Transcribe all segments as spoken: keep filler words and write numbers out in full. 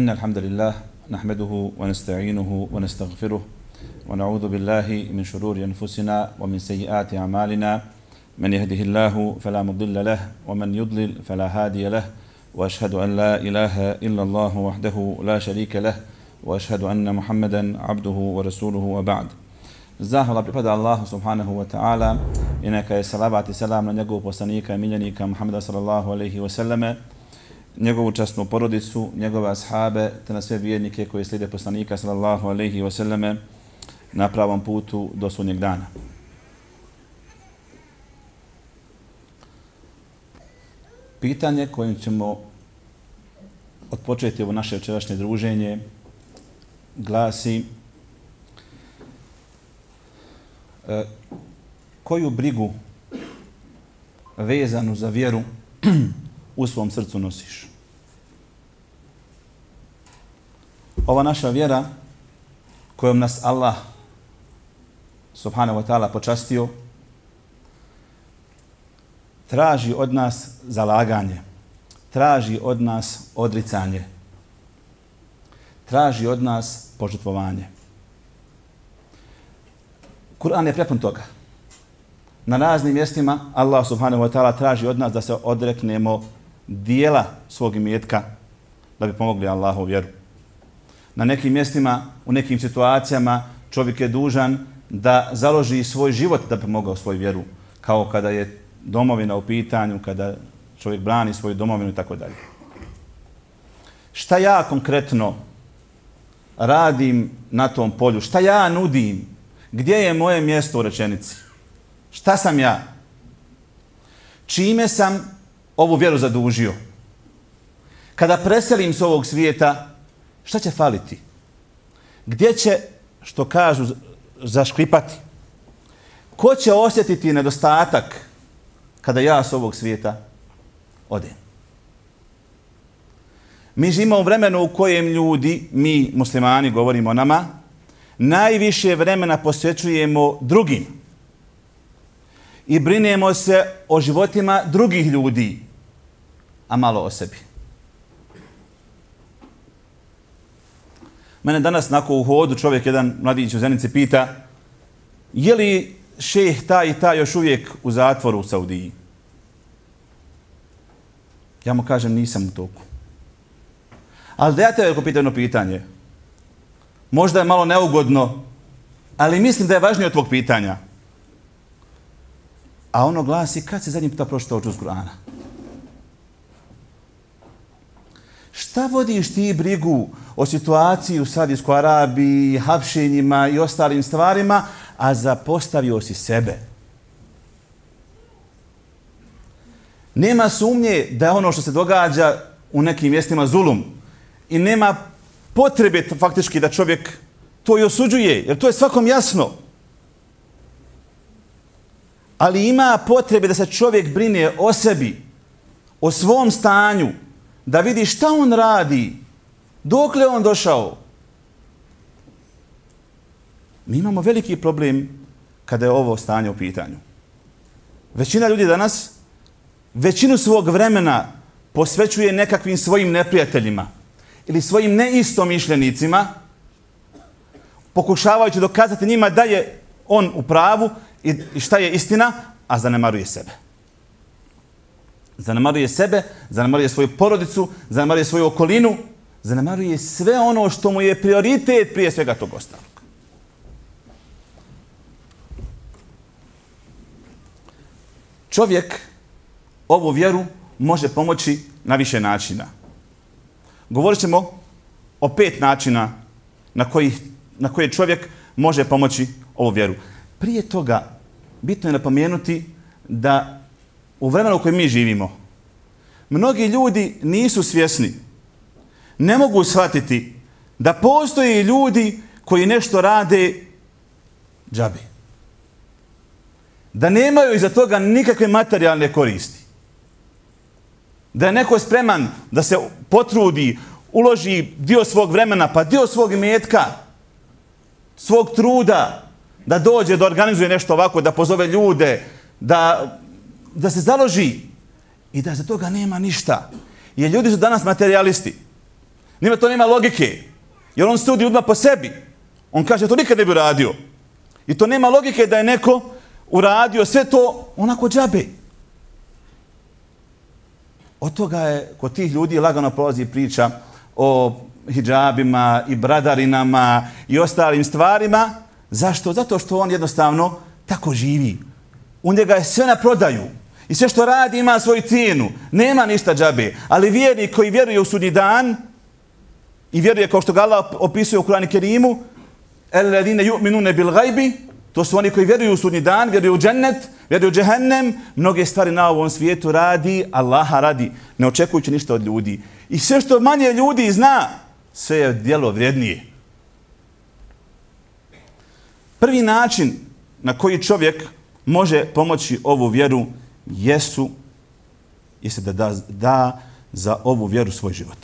إن الحمد لله نحمده ونستعينه ونستغفره ونعوذ بالله من شرور أنفسنا ومن سيئات أعمالنا من يهده الله فلا مضل له ومن يضلل فلا هادي له وأشهد أن لا إله إلا الله وحده لا شريك له وأشهد أن محمدا عبده ورسوله وبعد. Zahvala pripada Allahu subhanahu wa ta'ala i neka je salavat i selam na njegovog poslanika i miljenika Muhammeda sallallahu alaihi wa sallame, njegovu časnu porodicu, njegove ashabe, te na sve vjernike koji slijede poslanika sallallahu alaihi wa sallame na pravom putu do sudnjeg dana. Pitanje kojim ćemo odpočeti ovo naše večerašnje druženje glasi: E, koju brigu vezanu za vjeru u svom srcu nosiš? Ova naša vjera kojom nas Allah subhanahu wa ta'ala počastio traži od nas zalaganje, traži od nas odricanje, traži od nas požrtvovanje. Kur'an je prepun toga. Na raznim mjestima Allah subhanahu wa ta'ala traži od nas da se odreknemo dijela svog imetka da bi pomogli Allahu vjeru. Na nekim mjestima, u nekim situacijama čovjek je dužan da založi svoj život da bi pomogao svoju vjeru, kao kada je domovina u pitanju, kada čovjek brani svoju domovinu i tako dalje. Šta ja konkretno radim na tom polju? Šta ja nudim? Gdje je moje mjesto u rečenici? Šta sam ja? Čime sam ovu vjeru zadužio? Kada preselim s ovog svijeta, šta će faliti? Gdje će, što kažu, zaškripati? Ko će osjetiti nedostatak kada ja s ovog svijeta odem? Mi živimo u vremenu u kojem ljudi, mi muslimani, govorimo o nama, najviše vremena posvećujemo drugim i brinemo se o životima drugih ljudi, a malo o sebi. Mene danas nakon u hodu čovjek, jedan mladić u Zenici, pita: je li šejh taj i taj još uvijek u zatvoru u Saudiji? Ja mu kažem, nisam u toku. Ali da ja te pitam jedno pitanje. Možda je malo neugodno, ali mislim da je važnije od tvog pitanja. A ono glasi: kad si zadnji puta pročitao džuz Kur'ana? Šta vodiš ti brigu o situaciji u Saudijskoj Arabiji, hapšenjima i ostalim stvarima, a zapostavio si sebe? Nema sumnje da je ono što se događa u nekim mjestima zulum i nema potrebe faktički da čovjek to i osuđuje, jer to je svakom jasno. Ali ima potrebe da se čovjek brine o sebi, o svom stanju, da vidi šta on radi, dokle on došao. Mi imamo veliki problem kada je ovo stanje u pitanju. Većina ljudi danas većinu svog vremena posvećuje nekakvim svojim neprijateljima ili svojim neistomišljenicima, pokušavajući dokazati njima da je on u pravu i šta je istina, a zanemaruje sebe. Zanemaruje sebe, zanemaruje svoju porodicu, zanemaruje svoju okolinu, zanemaruje sve ono što mu je prioritet prije svega tog ostalog. Čovjek ovu vjeru može pomoći na više načina. Govorit ćemo o pet načina na koji, na koje čovjek može pomoći ovu vjeru. Prije toga, bitno je napomenuti da u vremenu u kojem mi živimo, mnogi ljudi nisu svjesni, ne mogu shvatiti da postoje ljudi koji nešto rade džabe. Da nemaju iza toga nikakve materijalne koristi. Da je neko spreman da se potrudi, uloži dio svog vremena, pa dio svog imetka, svog truda, da dođe, da organizuje nešto ovako, da pozove ljude, da, da se založi i da za toga nema ništa. Jer ljudi su danas materijalisti. Njima to nema logike. Jer on sudi odmah po sebi. On kaže, to nikad ne bi radio. I to nema logike da je neko uradio sve to onako džabe. Od toga je, kod tih ljudi lagano prolazi priča o hidžabima i bradarinama i ostalim stvarima. Zašto? Zato što on jednostavno tako živi. U njega je sve na prodaju. I sve što radi ima svoju cijenu. Nema ništa džabe. Ali vjernik koji vjeruje u sudnji dan i vjeruje kao što ga Allah opisuje u Kur'anu Kerimu, الذين يؤمنون بالغيب, to su oni koji vjeruju u sudnji dan, vjeruju u džennet, vjeruju u džehennem, mnoge stvari na ovom svijetu radi, Allaha radi, ne očekujući ništa od ljudi. I sve što manje ljudi zna, sve je djelo vrijednije. Prvi način na koji čovjek može pomoći ovu vjeru jesu, jeste da da, da za ovu vjeru svoj život.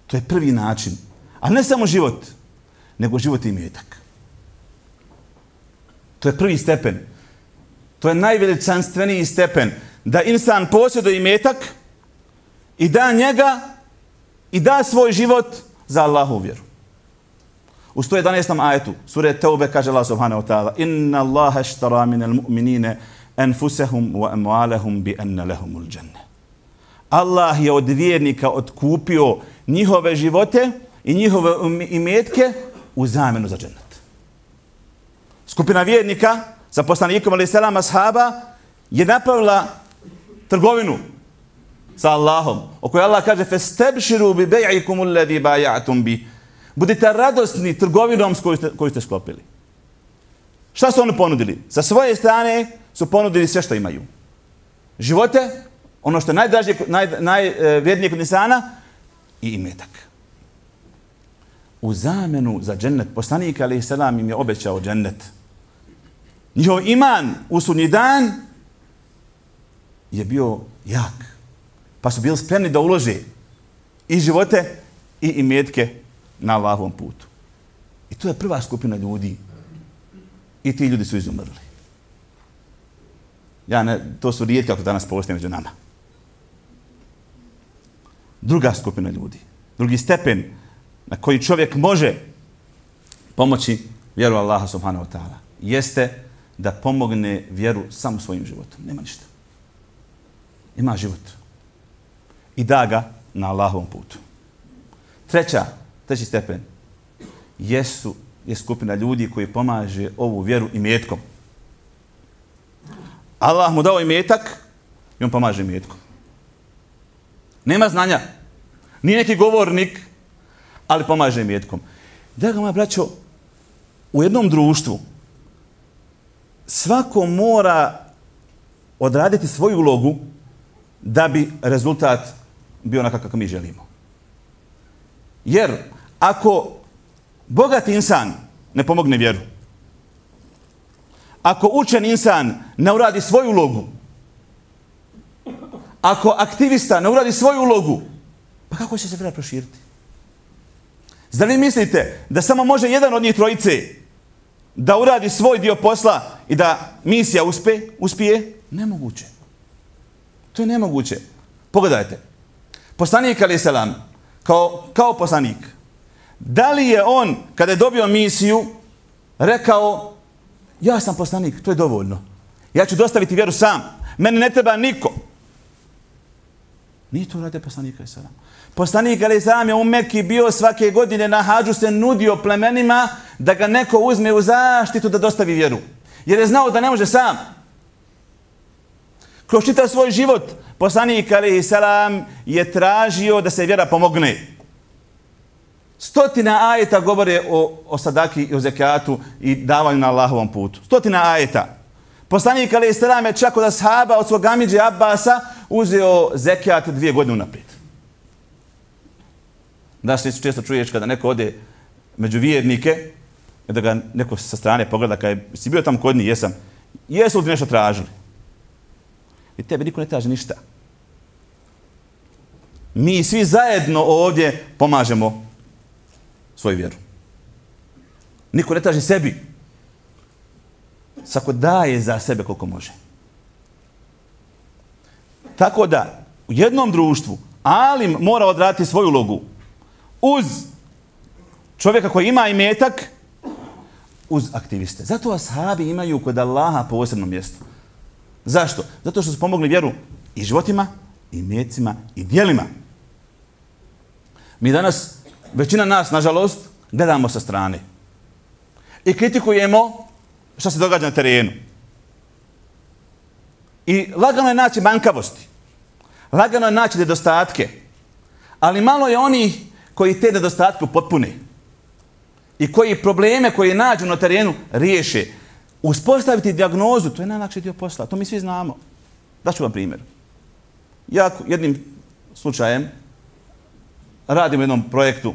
To je prvi način. A ne samo život, nego život i imetak. To je prvi stepen. To je najveličanstveniji stepen. Da insan posjeduje imetak i da njega i da svoj život za Allahu vjeru. U sto jedanaestom ajetu sure Teube kaže Allah subhanahu wa ta'ala: Inna Allaha ashtara minal mu'minina anfusahum wa amwalahum bi anna lahumul dženne. Allah je od vjernika otkupio njihove živote i njihove imetke u zamjenu za džennet. Skupina vjernika sa poslanikom alejhi selam ashaba je napravila trgovinu sa Allahom, o kojoj Allah kaže: "Fastabshiru bi bai'ikum alladhi bay'atum bi." Budite radosni trgovinom s koju ste, koju ste sklopili. Šta su oni ponudili? Sa svoje strane su ponudili sve što imaju. Živote, ono što je najdražije, naj, najvrijednije kod insana, i imetak. U zamjenu za džennet, poslanik alejhi selam im je obećao džennet. Njihov iman u sudnji dan je bio jak. Pa su bili spremni da ulože i živote i imetke na Allahovom putu. I to je prva skupina ljudi. I ti ljudi su izumrli. Ja ne, to su rijetki kako danas postoje među nama. Druga skupina ljudi. Drugi stepen na koji čovjek može pomoći vjeru Allaha subhanahu wa ta'ala jeste da pomogne vjeru samo svojim životom. Nema ništa. Ima život. I da ga na Allahovom putu. Treća, treći stepen jesu, je skupina ljudi koji pomaže ovu vjeru imetkom. Allah mu dao imetak i on pomaže imetkom. Nema znanja. Nije neki govornik, ali pomaže imetkom. Draga moja braćo, u jednom društvu svako mora odraditi svoju ulogu da bi rezultat bio onakav kako mi želimo. Jer ako bogat insan ne pomogne vjeru, ako učen insan ne uradi svoju ulogu, ako aktivista ne uradi svoju ulogu, pa kako će se vjera proširiti? Zar vi mislite da samo može jedan od njih trojice da uradi svoj dio posla i da misija uspe, uspije? Nemoguće. To je nemoguće. Pogledajte. Poslanik alejhi selam kao, kao poslanik, da li je on, kada je dobio misiju, rekao: ja sam poslanik, to je dovoljno. Ja ću dostaviti vjeru sam. Meni ne treba niko. Nije to uradio poslanik alejhi selam. Poslanik alejhi selam je u Mekki bio svake godine na hadžu, se nudio plemenima da ga neko uzme u zaštitu da dostavi vjeru. Jer je znao da ne može sam. Kroz čitav svoj život poslanik alejhi selam je tražio da se vjera pomogne. Stotina ajeta govore o, o sadaki i o zekatu i davanju na Allahovom putu. Stotina ajeta. Poslanik alejhi selam je čak od ashaba, od svog amidže Abbasa, uzeo zekat dvije godine unaprijed. Da se često čuješ kada neko ode među vjernike, da ga neko sa strane pogleda, kada je, si bio tamo kod njih, jesam, jesu li ti nešto tražili? I tebe niko ne traži ništa. Mi svi zajedno ovdje pomažemo svoju vjeru. Niko ne traži sebi. Svako daje za sebe koliko može. Tako da, u jednom društvu Alim mora odraditi svoju ulogu uz čovjeka koji ima imetak, uz aktiviste. Zato ashabi imaju kod Allaha posebno mjesto. Zašto? Zato što su pomogli vjeru i životima, i imecima, i djelima. Mi danas, većina nas, nažalost, gledamo sa strane. I kritikujemo što se događa na terenu. I lagano je naći manjkavosti. Lagano je naći nedostatke. Ali malo je onih koji te nedostatke upotpune. I koji probleme koje nađu na terenu riješe. Uspostaviti dijagnozu, to je najlakši dio posla. To mi svi znamo. Daću vam primjer. Ja jednim slučajem radim u jednom projektu.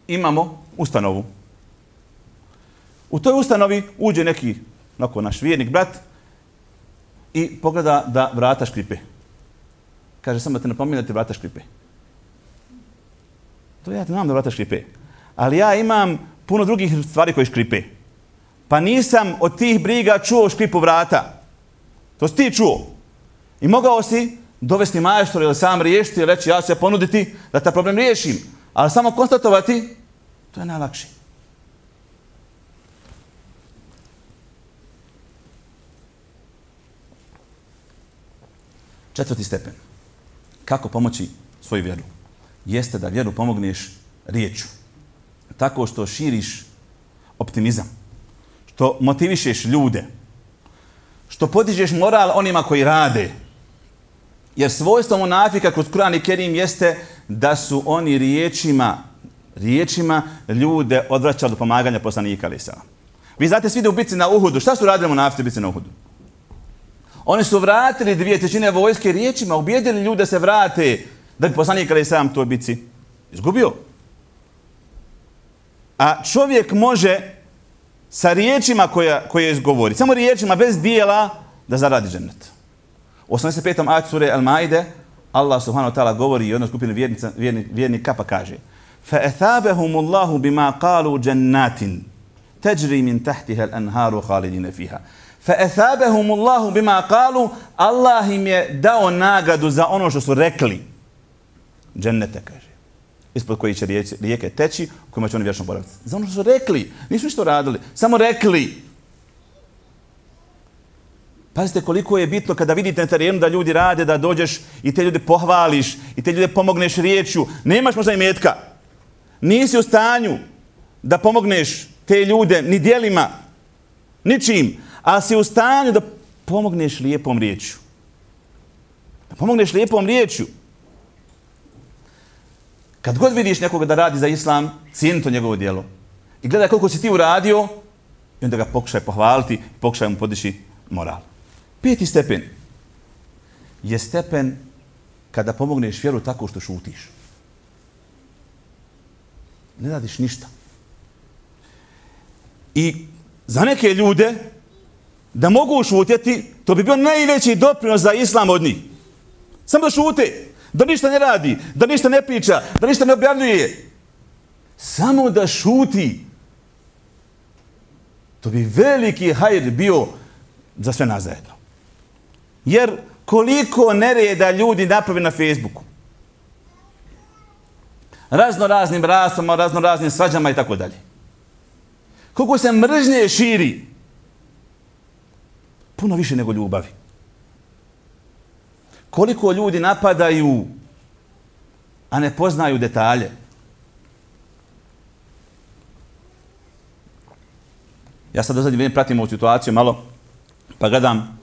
Imamo ustanovu. U toj ustanovi uđe neki onako, naš vjernik, brat, i pogleda da vrata škripe. Kaže, samo da te napominje da te vrata škripe. To ja te znam da vrata škripe. Ali ja imam puno drugih stvari koje škripe. Pa nisam od tih briga čuo škripu vrata. To si ti čuo. I mogao si dovesti majstor ili sam riješiti i reći ja ću se ponuditi da taj problem riješim. Ali samo konstatovati, to je najlakše. Četvrti stepen. Kako pomoći svoju vjeru? Jeste da vjeru pomogneš riječu. Tako što širiš optimizam. Što motivišeš ljude. Što podižeš moral onima koji rade. Jer svojstvo munafika kroz Kur'an i Kerim jeste da su oni riječima, riječima ljude odvraćali do pomaganja poslanika alejhi selam. Vi znate svi da u bitci na Uhudu. Šta su radili munafici u bitci na Uhudu? Oni su vratili dvije trećine vojske riječima, ubijedili ljude da se vrate, da bi poslanik alejhi selam toj bitci izgubio. A čovjek može sa riječima koje, koje izgovori, samo riječima bez dijela, da zaradi džennet. U osamdeset petom ajetu sure Al-Maide Allah subhanahu wa ta'ala govori o jednoj skupini vjernica, vjerni, vjernika pa kaže فَأَثَابَهُمُ اللَّهُ بِمَا قَالُوا جَنَّاتٍ تَجْرِي مِنْ تَحْتِهَا الْأَنْهَارُ خَالِدِينَ فِيهَا فَأَثَابَهُمُ اللَّهُ بِمَا قَالُوا Allah im je dao nagradu za ono što su rekli. Džennete, kaže. Ispod koji će rijeke, rijeke teći, u kojima će oni vječno boraviti. Za ono što su rekli. Nisu ništa radili. Samo rekli. Pazite koliko je bitno kada vidite na terenu da ljudi rade, da dođeš i te ljude pohvališ, i te ljude pomogneš riječju. Nemaš možda imetka. Nisi u stanju da pomogneš te ljude ni djelima, ničim, ali si u stanju da pomogneš lijepom riječju. Da pomogneš lijepom riječju. Kad god vidiš nekoga da radi za islam, cijeni to njegovo djelo. I gledaj koliko si ti uradio, i onda ga pokušaj pohvaliti, pokušaj mu podići moral. Peti stepen je stepen kada pomogneš vjeru tako što šutiš. Ne radiš ništa. I za neke ljude da mogu šutjeti, to bi bio najveći doprinos za islam od njih. Samo da šute, da ništa ne radi, da ništa ne priča, da ništa ne objavljuje. Samo da šuti. To bi veliki hajr bio za sve nas zajedno. Jer koliko nereda ljudi napravi na Facebooku. Razno raznim rasama, razno raznim svađama i tako dalje. Koliko se mržnje širi. Puno više nego ljubavi. Koliko ljudi napadaju, a ne poznaju detalje. Ja sad do zadnje vrijeme pratim ovu situaciju malo, pa gledam,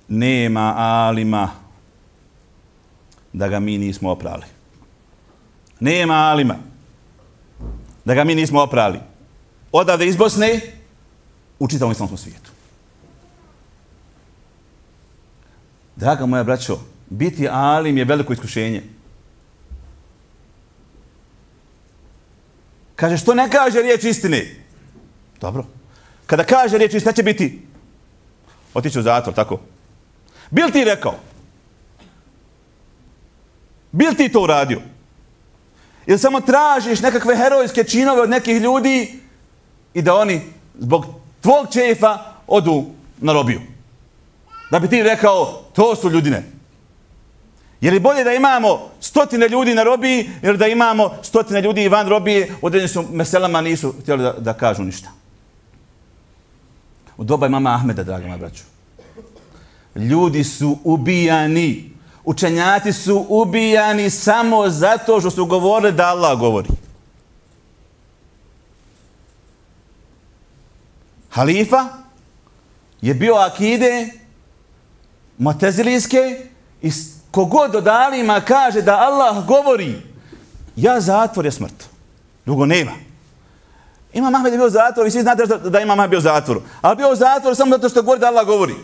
nema alima da ga mi nismo oprali. Nema alima da ga mi nismo oprali. Odavde iz Bosne u čitavom islamskom svijetu. Draga moja braćo, biti alim je veliko iskušenje. Kaže, što ne kaže riječ istine? Dobro. Kada kaže riječ istine, će biti? Otići u zatvor, tako? Bil ti rekao? Bil ti to uradio? Ili samo tražiš nekakve herojske činove od nekih ljudi i da oni zbog tvog čefa odu na robiju? Da bi ti rekao, to su ljudine. Je li bolje da imamo stotine ljudi na robiji ili da imamo stotine ljudi van robije, određeni su meselama nisu htjeli da, da kažu ništa. U doba imama Ahmeda, draga moja braćo. Ljudi su ubijani. Učenjaci su ubijani samo zato što su govorili da Allah govori. Halifa je bio akide Mu'tezilijske i kogod od alima kaže da Allah govori, ja zatvor je smrt. Drugo nema. Imam Ahmed je bio u zatvoru i svi znate da, da Imam Ahmed bio u zatvoru. Ali bio u zatvoru samo zato što govori da Allah govori.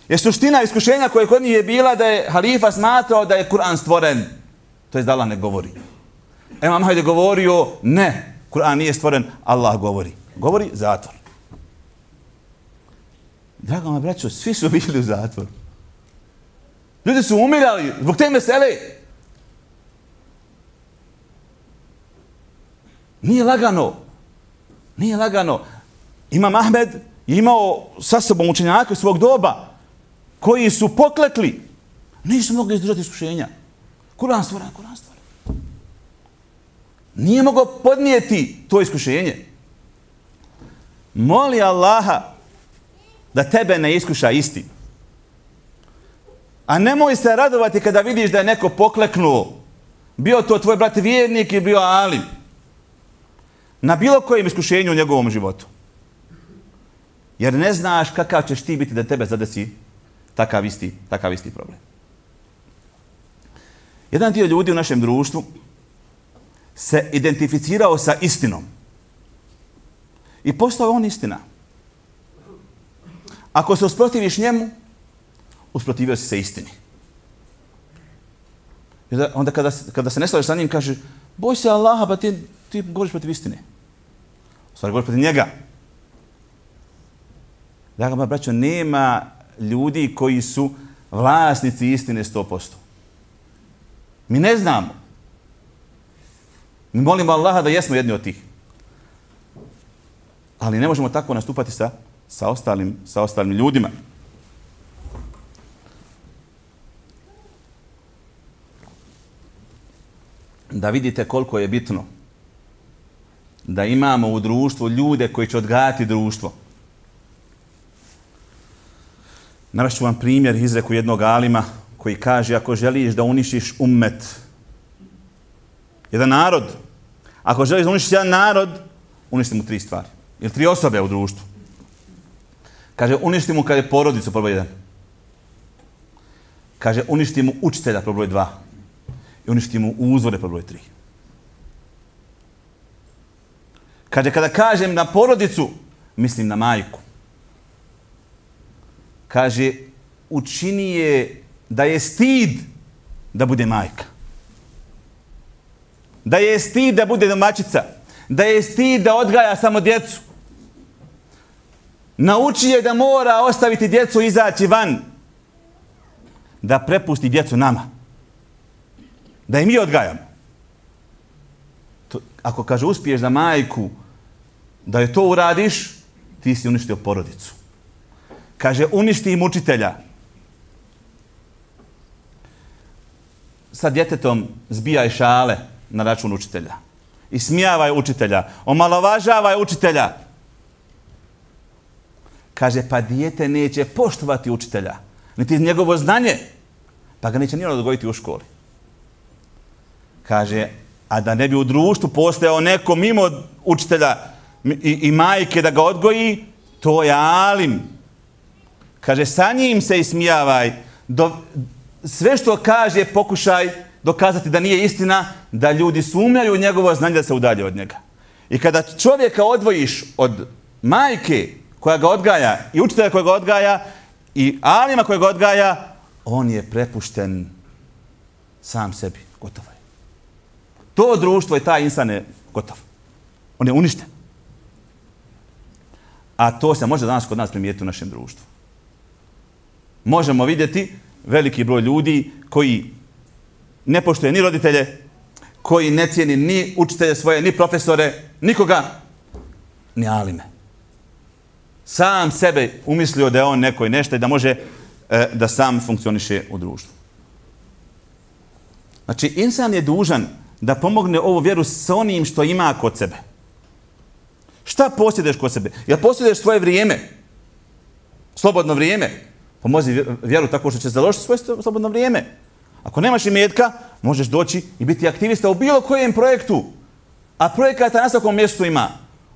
Jer suština iskušenja koje kod njih je bila da je halifa smatrao da je Kur'an stvoren. To je da Allah ne govori. Imam Ahmed je govorio, ne, Kur'an nije stvoren, Allah govori. Govori zatvor. Draga moja braćo, svi su bili u zatvoru. Ljudi su umirali zbog te mesele. Nije lagano. Nije lagano. Imam Ahmed je imao sa sobom učenjaka svog doba koji su poklekli. Nisu mogli izdržati iskušenja. Kur'an stvoren, Kur'an stvoren. Nije mogao podnijeti to iskušenje. Moli Allaha da tebe ne iskuša istin. A nemoj se radovati kada vidiš da je neko pokleknuo. Bio to tvoj brat vjernik i bio alim. Na bilo kojem iskušenju u njegovom životu. Jer ne znaš kakav ćeš ti biti da tebe zadesi takav isti, takav isti problem. Jedan dio ljudi u našem društvu se identificirao sa istinom. I postao on istina. Ako se usprotiviš njemu, usprotivio si se istini. I onda kada, kada se ne slažeš sa njim, kaže, boj se Allaha, pa ti, ti govoriš protiv istine. U stvari govoriš protiv njega. Draga moja braćo, nema ljudi koji su vlasnici istine sto posto. Mi ne znamo. Mi molimo Allaha da jesmo jedni od tih. Ali ne možemo tako nastupati sa, sa, ostalim, sa ostalim ljudima. Da vidite koliko je bitno da imamo u društvu ljude koji će odgajati društvo. Navest ću vam primjer izreku jednog alima koji kaže ako želiš da uništiš ummet, jedan narod, ako želiš da uništiš jedan narod, uništi mu tri stvari. Ili tri osobe u društvu. Kaže, uništi mu kada je porodicu, prvo jedan. Kaže, uništi mu učitelja, prvo dva. I uništi mu uzvore, prvo tri. Kaže, kada kažem na porodicu, mislim na majku. Kaže, učini je da je stid da bude majka. Da je stid da bude domaćica. Da je stid da odgaja samo djecu. Nauči je da mora ostaviti djecu i izaći van. Da prepusti djecu nama. Da i mi odgajamo. To, ako kaže uspiješ za majku da je to uradiš, ti si uništio porodicu. Kaže uništi im učitelja. Sa djetetom zbijaj šale na račun učitelja. Ismijavaj učitelja. Omalovažavaj učitelja. Kaže, pa dijete neće poštovati učitelja. Niti njegovo znanje. Pa ga neće ni ono odgojiti u školi. Kaže, a da ne bi u društvu postojao neko mimo učitelja i, i majke da ga odgoji, to je alim. Kaže, sa njim se ismijavaj. Do, sve što kaže, pokušaj dokazati da nije istina, da ljudi sumnjaju u njegovo znanje da se udalje od njega. I kada čovjeka odvojiš od majke koja ga odgaja i učitelja koja ga odgaja i alima koja ga odgaja, on je prepušten sam sebi. Gotovo je. To društvo i taj insan je gotov. On je uništen. A to se može danas kod nas primijetiti u našem društvu. Možemo vidjeti veliki broj ljudi koji ne poštuje ni roditelje, koji ne cijeni ni učitelje svoje, ni profesore, nikoga, ni alime. Sam sebe umislio da je on neko i nešto i da može e, da sam funkcioniše u društvu. Znači, insan je dužan da pomogne ovu vjeru sa onim što ima kod sebe. Šta posjeduješ kod sebe? Jel posjeduješ svoje vrijeme? Slobodno vrijeme? Pomozi vjeru tako što će založiti svoje slobodno vrijeme. Ako nemaš imetka, možeš doći i biti aktivista u bilo kojem projektu. A projekata na svakom mjestu ima.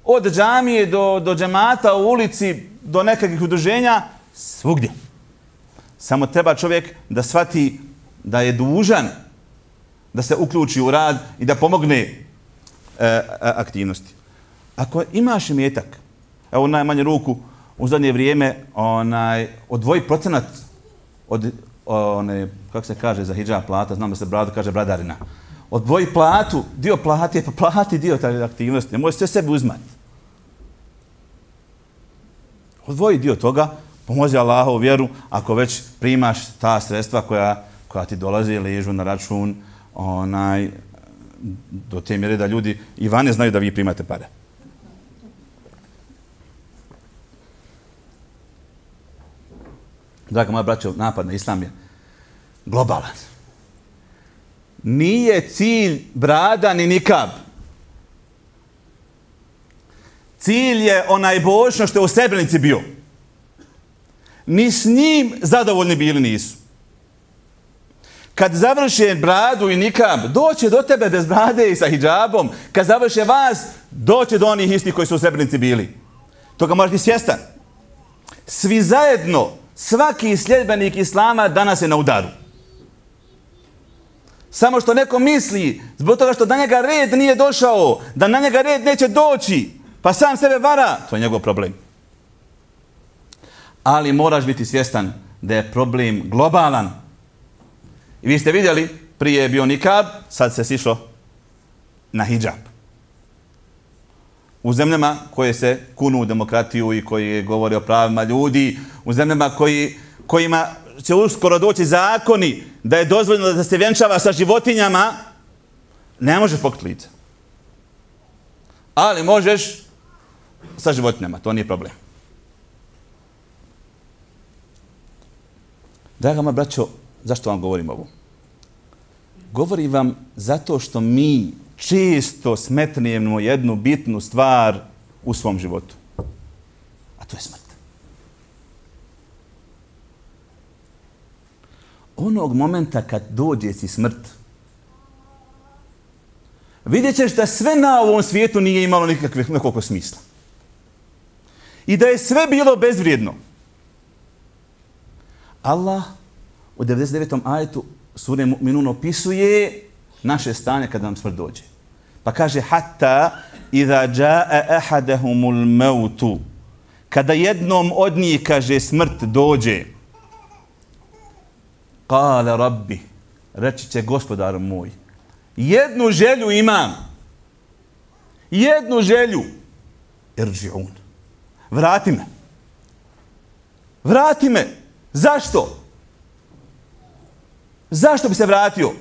Od džamije do, do džemata u ulici, do nekakvih udruženja, svugdje. Samo treba čovjek da shvati da je dužan da se uključi u rad i da pomogne e, aktivnosti. Ako imaš imetak, evo u najmanje ruku, u zadnje vrijeme onaj, odvoji procenat od one, kako se kaže za hidžab plata, znam da se bradu kaže bradarina. Odvoji platu, dio plati, pa plati dio te aktivnosti, ne možeš sve sebi uzmati. Odvoji dio toga, pomozi Allahovu vjeru ako već primaš ta sredstva koja, koja ti dolazi i ležu na račun onaj, do te mjere da ljudi i vane znaju da vi primate pare. Draga moja braćo, napad na islam je globalan. Nije cilj brada ni nikab. Cilj je onaj bočno što je u Srebrenici bio. Ni s njim zadovoljni bili nisu. Kad završe bradu i nikab, doće do tebe bez brade i sa hidžabom. Kad završe vas, doće do onih istih koji su u Srebrenici bili. Toga možeš biti svjestan. Svi zajedno, svaki sljedbenik islama danas je na udaru. Samo što neko misli, zbog toga što na njega red nije došao, da na njega red neće doći, pa sam sebe vara, to je njegov problem. Ali moraš biti svjestan da je problem globalan. I vi ste vidjeli, prije je bio nikab, sad se sišlo na hidžab. U zemljama koje se kunu u demokratiju i koji govore o pravima ljudi, u zemljama koji, kojima će uskoro doći zakoni da je dozvoljeno da se vjenčava sa životinjama, ne možeš pokriti lice. Ali možeš sa životinjama, to nije problem. Draga moja braćo, zašto vam govorim ovo? Govorim vam zato što mi često smetnemo jednu bitnu stvar u svom životu. A to je smrt. Onog momenta kad dođe si smrt, vidjet ćeš da sve na ovom svijetu nije imalo nikakvih nekog smisla. I da je sve bilo bezvrijedno. Allah u devedeset devetom ajetu sure Mu'minun opisuje naše stanje kad nam smrt dođe. Pa kaže hatta idha jaa ahadahumul mautu, kada jednom od njih, kaže, smrt dođe, kale rabbi, reći će gospodar moj, jednu želju imam, jednu želju, irđi'un, vrati me, vrati me, zašto? Zašto bi se vratio?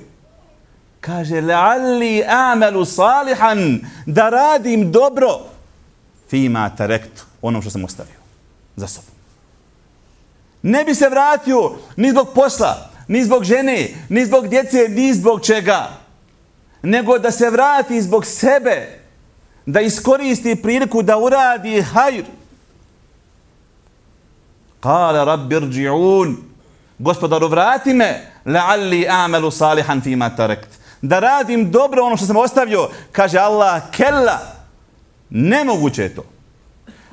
Kaže, la'alli a'malu salihan, da radim dobro, fima tarektu, onom što sam ostavio za sobom. Ne bi se vratio ni zbog posla, ni zbog žene, ni zbog djece, ni zbog čega, nego da se vrati zbog sebe, da iskoristi priliku da uradi hajr. Kale rabbi irđi'un, gospodaru vrati me, la'alli a'malu salihan fima tarekt, da radim dobro ono što sam ostavio. Kaže Allah, kella, nemoguće je to.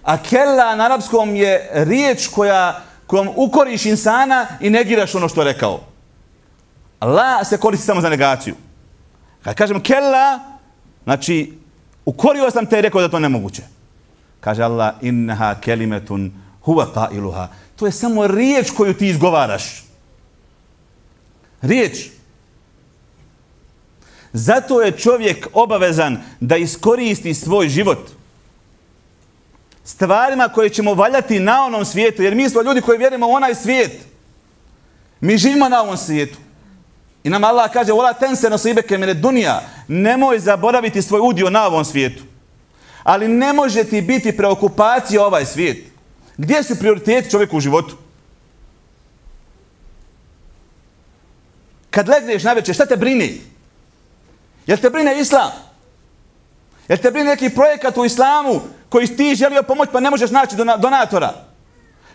A kella na arapskom je riječ koja, kojom ukoriš insana i negiraš ono što je rekao. La se koristi samo za negaciju. Kad kažem kella, znači ukorio sam te i rekao da to nemoguće. Kaže Allah, innaha kelimetun huwa qailuha. To je samo riječ koju ti izgovaraš. Riječ. Zato je čovjek obavezan da iskoristi svoj život stvarima koje ćemo valjati na onom svijetu, jer mi smo ljudi koji vjerujemo u onaj svijet. Mi živimo na ovom svijetu. I nam Allah kaže, vola tense nasibeke mine dunija, nemoj zaboraviti svoj udio na ovom svijetu. Ali ne može ti biti preokupacija ovaj svijet. Gdje su prioriteti čovjeku u životu? kad legneš na večer, šta te brini? Jel te brine islam? Jel te brine neki projekat u islamu koji ti želio pomoći pa ne možeš naći donatora?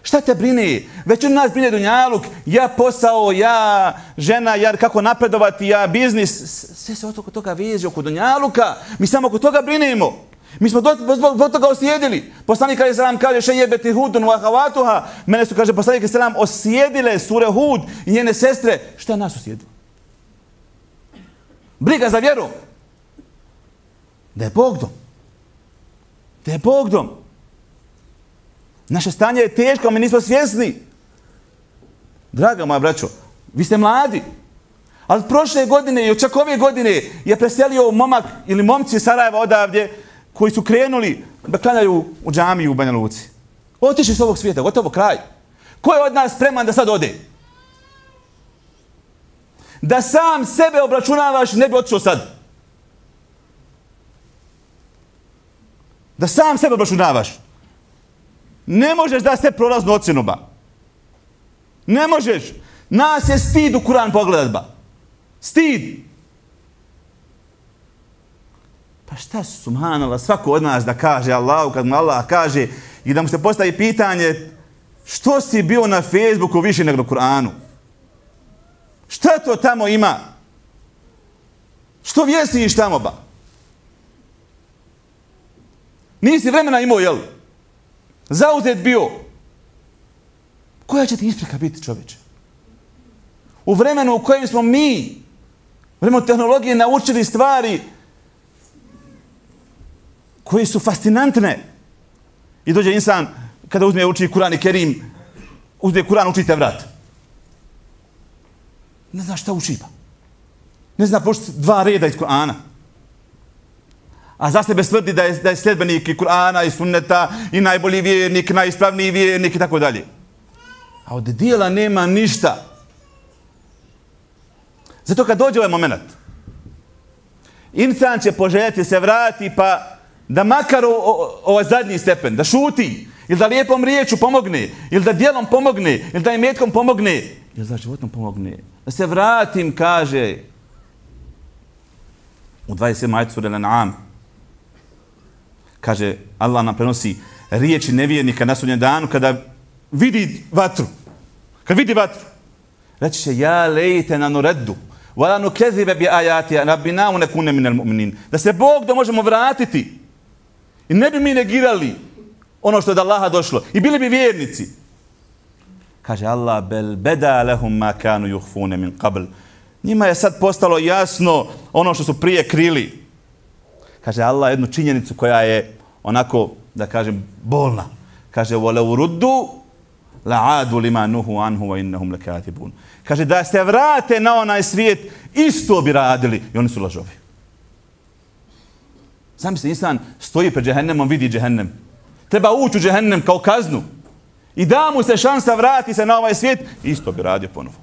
Šta te brine? Već od nas brine dunjaluk, ja posao, ja žena, ja kako napredovati, ja biznis. Sve se oko toga veže, oko dunjaluka. Mi samo oko toga brinemo. Mi smo do, do, do toga osjedili. Poslanik alejhi selam kaže šejebeti hudun wa havatuha. Mene su, kaže poslanik alejhi selam, osjedile sure Hud i njene sestre. Šta nas osjedilo? Briga za vjeru. Da je Bog dom. Da je Bog dom. Naše stanje je teško, mi nismo svjesni. Draga moja braćo, vi ste mladi. Ali prošle godine i čak ove godine je preselio momak ili momci iz Sarajeva odavdje koji su krenuli da klanjaju u džamiju u Banja Luci. Otišli s ovog svijeta, gotovo kraj. Ko je od nas spreman da sad ode? Da sam sebe obračunavaš, ne bi otišao sad. Da sam sebe obračunavaš. Ne možeš da se prolaznu ocjenu, ba. Ne možeš. Nas je stid u Kur'an pogledat, ba. Stid. Pa šta su, subhanallah, svako od nas da kaže Allahu, kad mu Allah kaže i da mu se postavi pitanje što si bio na Facebooku više nego na Kur'anu? Šta to tamo ima? Što vjesiš tamo, ba? Nisi vremena imao, jel? Zauzet bio. Koja će ti isprika biti, čovječe? U vremenu u kojem smo mi, u vremenu tehnologije, naučili stvari koje su fascinantne. I dođe insan, kada uzme uči Kur'an i Kerim, uzme Kur'an, uči te vrat. Ne zna šta uči, pa. Ne zna pročiti dva reda iz Kur'ana. A za sebe tvrdi da je, da je sljedbenik i Kur'ana i sunneta i najbolji vjernik, najispravniji vjernik i tako dalje. A od dijela nema ništa. Zato kad dođe ovaj moment, insan će poželjeti se vrati pa da makar ovaj zadnji stepen, da šuti, ili da lijepom riječu pomogne, ili da dijelom pomogne, ili da imetkom pomogne, ili da životom pomogne. Da se vratim, kaže u dvadeset sedmom ajetu sure Al-An'am. Kaže, Allah nam prenosi riječi nevjernika na sudnjem danu kada vidi vatru. Kad vidi vatru. Reći će, ja lejtena nureddu, wala nukezibe bi ajati, rabbina wa nekune minel mu'minin. Da se Bog da možemo vratiti. I ne bi mi negirali ono što je od Allaha došlo. I bili bi vjernici. Kaže Allah, bel beda lehum ma kanu yuhfune min qabl. Njima je sad postalo jasno ono što su prije krili. Kaže Allah jednu činjenicu koja je onako, da kažem, bolna. Kaže, وَلَوْ رُدُّوا لَعَادُوا لِمَا نُهُوا عَنْهُ وَإِنَّهُمْ لَكَاتِبُونَ. Kaže, da se vrate na onaj svijet, isto bi radili. I oni su lažovi. Sami se insan stoji pred džehennemom, vidi džehennem. Treba ući u džehennem kao kaznu. I da mu se šansa vrati se na ovaj svijet, isto bi radio ponovo.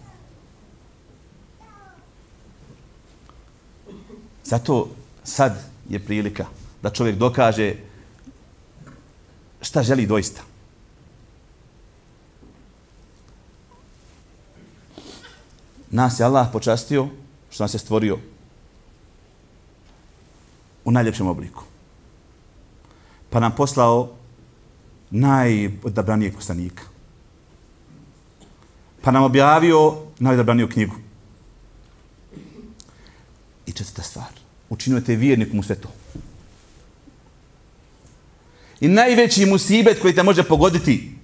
Zato sad je prilika da čovjek dokaže šta želi doista. Nas je Allah počastio što nas je stvorio u najljepšem obliku. Pa nam poslao najodabranijeg poslanika. Pa nam objavio najodabraniju knjigu. I četvrta stvar. Učinio te vjernikom u sve to. I najveći musibet koji te može pogoditi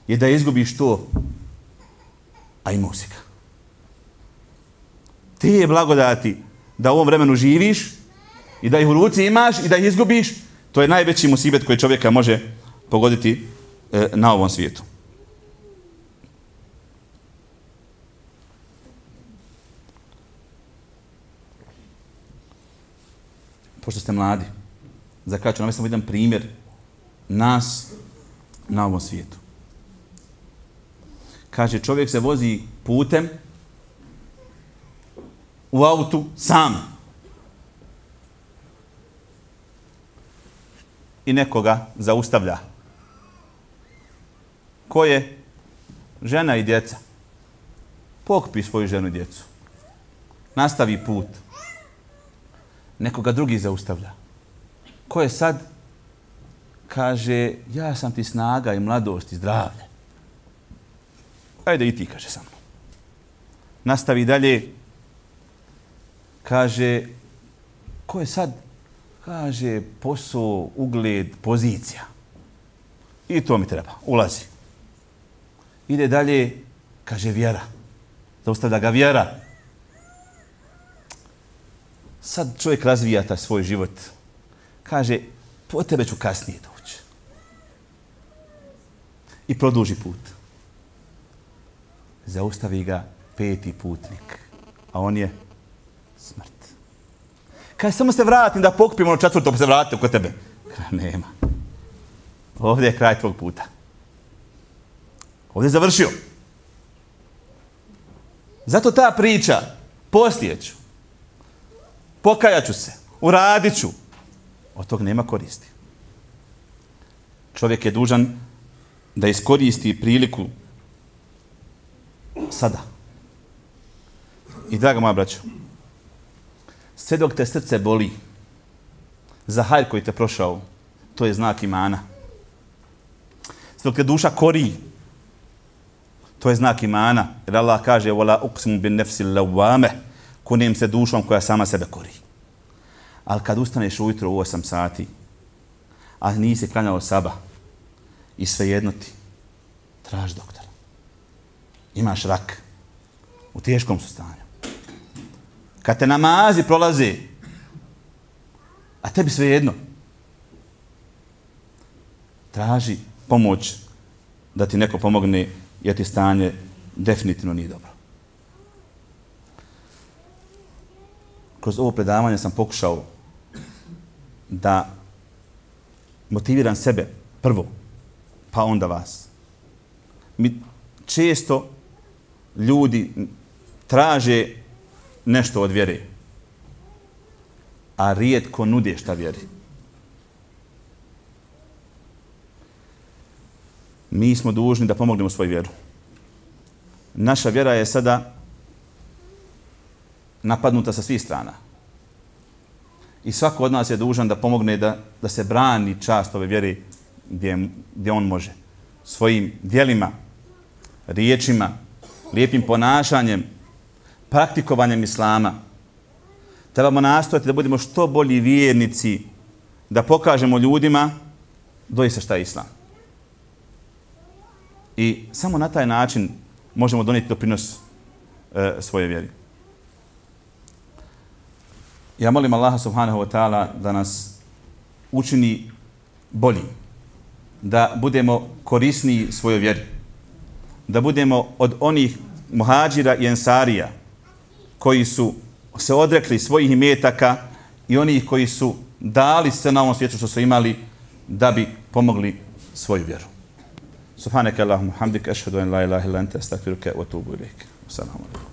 je da izgubiš to, a imao si ga. Ti je blagodati da u ovom vremenu živiš i da ih u ruci imaš i da ih izgubiš, to je najveći musibet koji čovjeka može pogoditi e, na ovom svijetu. Pošto ste mladi, za kraj ću navesti jedan primjer nas na ovom svijetu. Kaže, čovjek se vozi putem u autu sam. I nekoga zaustavlja. Ko je? Žena i djeca. Pokupi svoju ženu i djecu. nastavi put. Nekoga drugi zaustavlja. Ko je sad? Kaže, ja sam ti snaga i mladost i zdravlje. Ajde i ti, kaže sa mnom. Nastavi dalje. Kaže, ko je sad? Kaže, posao, ugled, pozicija. I to mi treba. Ulazi. Ide dalje. Kaže, vjera. Zaustavlja ga vjera. Sad čovjek razvija taj svoj život. Kaže, po tebe ću kasnije doći. I produži put. Zaustavi ga peti putnik. A on je smrt. Kaže, samo se vratim da pokupim ono četvrto pa se vratite oko tebe. Kaže, nema. Ovdje je kraj tvog puta. Ovdje je završio. Zato ta priča, poslije ću, pokajat ću se, uradit ću, od tog nema koristi. Čovjek je dužan da iskoristi priliku sada. I draga moja braćo, sve dok te srce boli za hajr koji te prošao, to je znak imana. Sve dok te duša kori, to je znak imana. Jer Allah kaže وَلَا أُقْسِمُ بِالنَّفْسِ اللَّوَّامَ kunem se dušom koja sama sebe kori. Ali kad ustaneš ujutro u osam sati, a nisi klanjao saba i svejedno ti, traži doktora. Imaš rak. U teškom su stanju. Kad te namazi prolaze, a tebi svejedno, traži pomoć da ti neko pomogne jer ti stanje definitivno nije dobro. Kroz ovo predavanje sam pokušao da motiviram sebe prvo, pa onda vas. Mi često ljudi traže nešto od vjere, a rijetko nude šta vjeri. Mi smo dužni da pomognemo svoju vjeru. Naša vjera je sada napadnuta sa svih strana. I svako od nas je dužan da pomogne da, da se brani čast ove vjere gdje, gdje on može. Svojim djelima, riječima, lijepim ponašanjem, praktikovanjem islama. Trebamo nastojati da budemo što bolji vjernici, da pokažemo ljudima doista šta je islam. I samo na taj način možemo donijeti doprinos e, svoje vjeri. Ja molim Allaha subhanahu wa ta'ala da nas učini bolji, da budemo korisniji svojoj vjeri, da budemo od onih muhađira i ensarija koji su se odrekli svojih imetaka i onih koji su dali sve na ovom svijetu što su imali da bi pomogli svoju vjeru. Subhanaka Allahumma hamdika ashhadu an la ilaha illa anta astaghfiruka wa atubu ilaik. Assalamu alaikum.